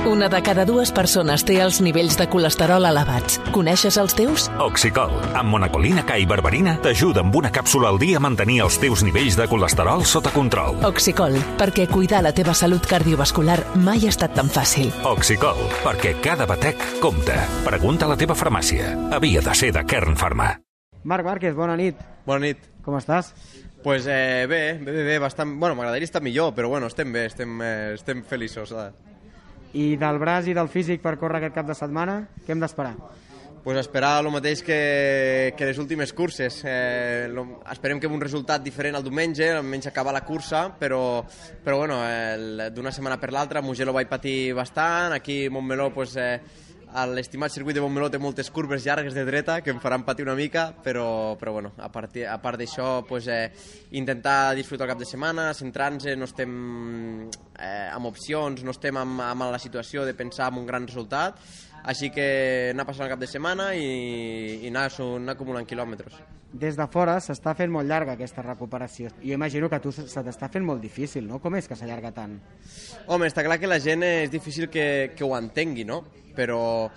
Una de cada dues persones té els nivells de colesterol elevats. Coneixes els teus? Oxicol, amb monacolina K i berberina, t'ajuda amb una càpsula al dia a mantenir els teus nivells de colesterol sota control. Oxicol, perquè cuidar la teva salut cardiovascular mai ha estat tan fàcil. Oxicol, perquè cada batec compta. Pregunta a la teva farmàcia. Havia de ser de Kern Pharma. Marc Márquez, bona nit. Bona nit. Com estàs? Pues bé, bastant... Bueno, m'agradaria estar millor, però bueno, estem bé, estem feliços. I del braç i del físic per córrer aquest cap de setmana, què hem d'esperar? Pues esperar el mateix que les últimes curses. Esperem que un resultat diferent el diumenge, almenys acabar la cursa, però bueno, d'una setmana per l'altra, a Mugello vaig patir bastant, aquí a Montmeló, pues, l'estimat circuit de Montmeló té moltes curves llargues de dreta que em faran patir una mica, però bueno, a part d'això, pues, intentar disfrutar el cap de setmana, centrar-nos, no estem amb opcions, no estem amb la situació de pensar en un gran resultat, així que anar passant el cap de setmana i anar acumulant quilòmetres. Des de fora s'està fent molt llarga aquesta recuperació. Jo imagino que a tu se t'està fent molt difícil, no? Com és que s'allarga tant? Home, està clar que la gent és difícil que ho entengui, no? Però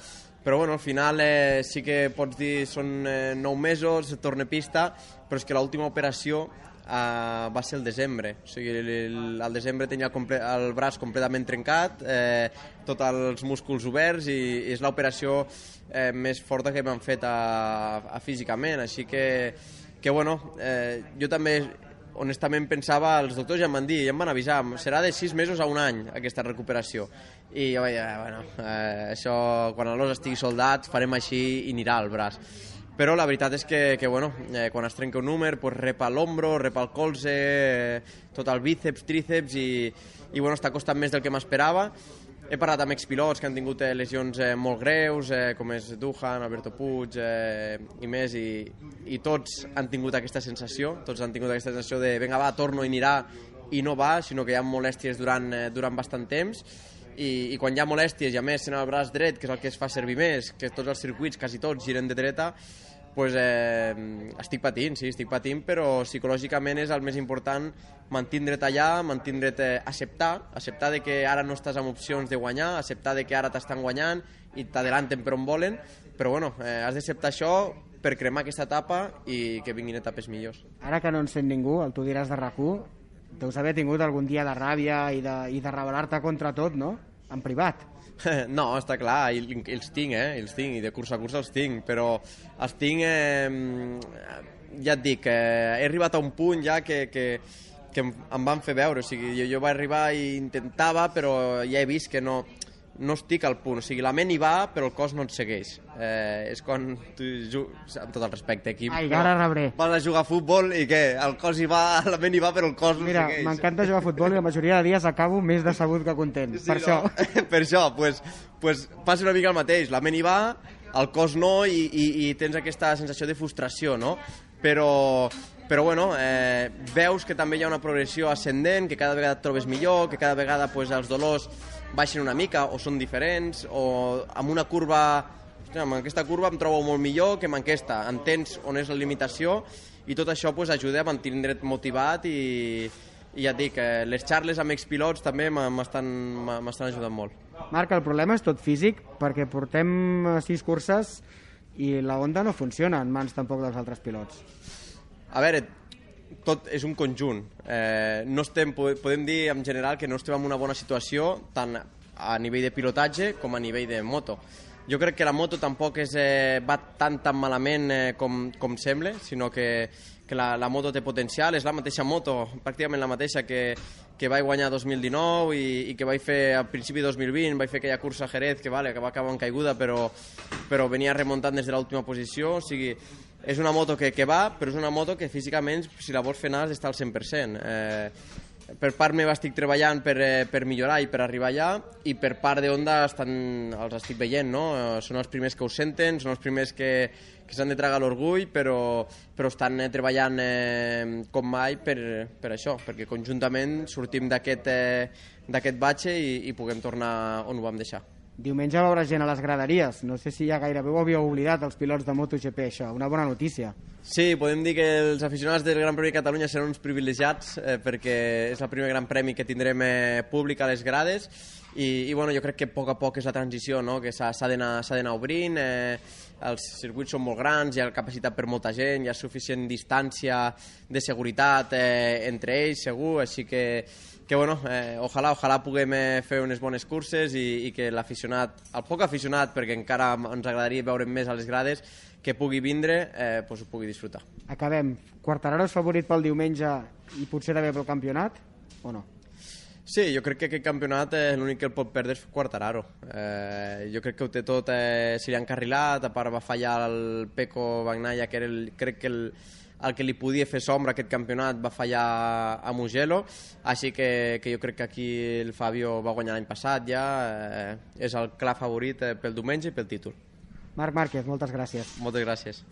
bueno, al final sí que pots dir són 9 mesos, torna a pista, però és que l'última operació va ser el desembre. O sigui, al desembre tenia el braç completament trencat, tots els músculs oberts, i és l'operació més forta que m'han fet físicament. Així que bueno, jo també honestament pensava, els doctors ja em van dir, ja em van avisar, serà de 6 mesos a un any aquesta recuperació, i jo vaig dir, bueno, això quan l'os estigui soldat farem així i anirà al braç. Però la veritat és que bueno, quan es trenca un númer, pues repa l'ombro, repa el colze, tot el bíceps, tríceps, i bueno, està costant més del que m'esperava. He parlat amb expilots que han tingut lesions molt greus, com és Duhan, Alberto Puig i més, i tots han tingut aquesta sensació, de vinga va, torno i anirà, i no va, sinó que hi ha molèsties durant bastant temps, i quan hi ha molèsties, i a més sent el braç dret, que és el que es fa servir més, que tots els circuits, quasi tots, giren de dreta, pues, estic patint, però psicològicament és el més important, mantindre't allà, acceptar de que ara no estàs amb opcions de guanyar, acceptar de que ara t'estan guanyant i t'adelanten per on volen, però bueno, has d'acceptar això per cremar aquesta etapa i que vinguin etapes millors. Ara que no en sent ningú, el tu diràs de RAC1, deus haver tingut algun dia de ràbia i de rebel·lar-te contra tot, no? En privat. No, està clar, i els tinc, i de cursa a cursa els tinc, però els tinc, ja et dic, he arribat a un punt ja que em van fer veure, o sigui, jo vaig arribar i intentava, però ja he vist que no estic al punt, o sigui, la ment hi va, però el cos no et segueix. És quan tu jugues, amb tot el respecte, aquí, ara rebré. Vas a jugar a futbol i què? El cos hi va, la ment hi va, però el cos no segueix. Mira, m'encanta jugar a futbol i la majoria de dies acabo més decebut que content, sí, per això. Per això, pues passa una mica el mateix, la ment hi va, el cos no, i tens aquesta sensació de frustració, no? Però bueno, veus que també hi ha una progressió ascendent, que cada vegada et trobes millor, que cada vegada pues, els dolors baixen una mica o són diferents, o amb una curva, amb aquesta curva em trobo molt millor que amb aquesta, entens on és la limitació, i tot això pues, ajuda a mantenir-te motivat, i ja et dic, les xarles amb expilots també m'estan ajudant molt. Marc, el problema és tot físic, perquè portem 6 curses i la Honda no funciona en mans tampoc dels altres pilots. A veure, tot és un conjunt. Podem dir en general que no estem en una bona situació tant a nivell de pilotatge com a nivell de moto. Jo crec que la moto tampoc va tan malament com sembla, sinó que la moto té potencial, és la mateixa moto, pràcticament la mateixa que vaig guanyar 2019 i que vaig fer al principi de 2020, vaig fer aquella cursa a Jerez que va acabar en caiguda, però venia remuntant des de l'última posició, o sigui, és una moto que va, però és una moto que físicament, si la vols fer anar, has d'estar al 100%. Per part meva estic treballant per millorar i per arribar allà, i per part de Honda els estic veient, no? Són els primers que ho senten, són els primers que s'han de tragar l'orgull, però estan treballant com mai per això, perquè conjuntament sortim d'aquest batxe i puguem tornar on ho vam deixar. Diumenge veuràs gent a les graderies. No sé si ja gairebé ho havíeu oblidat els pilots de MotoGP, això. Una bona notícia. Sí, podem dir que els aficionats del Gran Premi de Catalunya seran uns privilegiats perquè és el primer Gran Premi que tindrem públic a les grades i bueno, jo crec que a poc és la transició, no? Que s'ha d'anar obrint, els circuits són molt grans, hi ha capacitat per molta gent, hi ha suficient distància de seguretat entre ells, segur, així que bueno, ojalà puguem fer unes bones curses i que l'aficionat, el poc aficionat, perquè encara ens agradaria veure més a les grades, que pugui vindre, ho pugui disfrutar. Acabem. Quartararo és favorit pel diumenge i potser també pel campionat, o no? Sí, jo crec que aquest campionat l'únic que el pot perdre és Quartararo. Jo crec que ho té tot, se li ha encarrilat, a part va fallar el Pecco Bagnaia, que era crec que el que li podia fer sombra aquest campionat, va fallar a Mugello, així que jo crec que aquí el Fabio va guanyar l'any passat ja, és el clar favorit pel diumenge i pel títol. Marc Márquez, moltes gràcies. Moltes gràcies.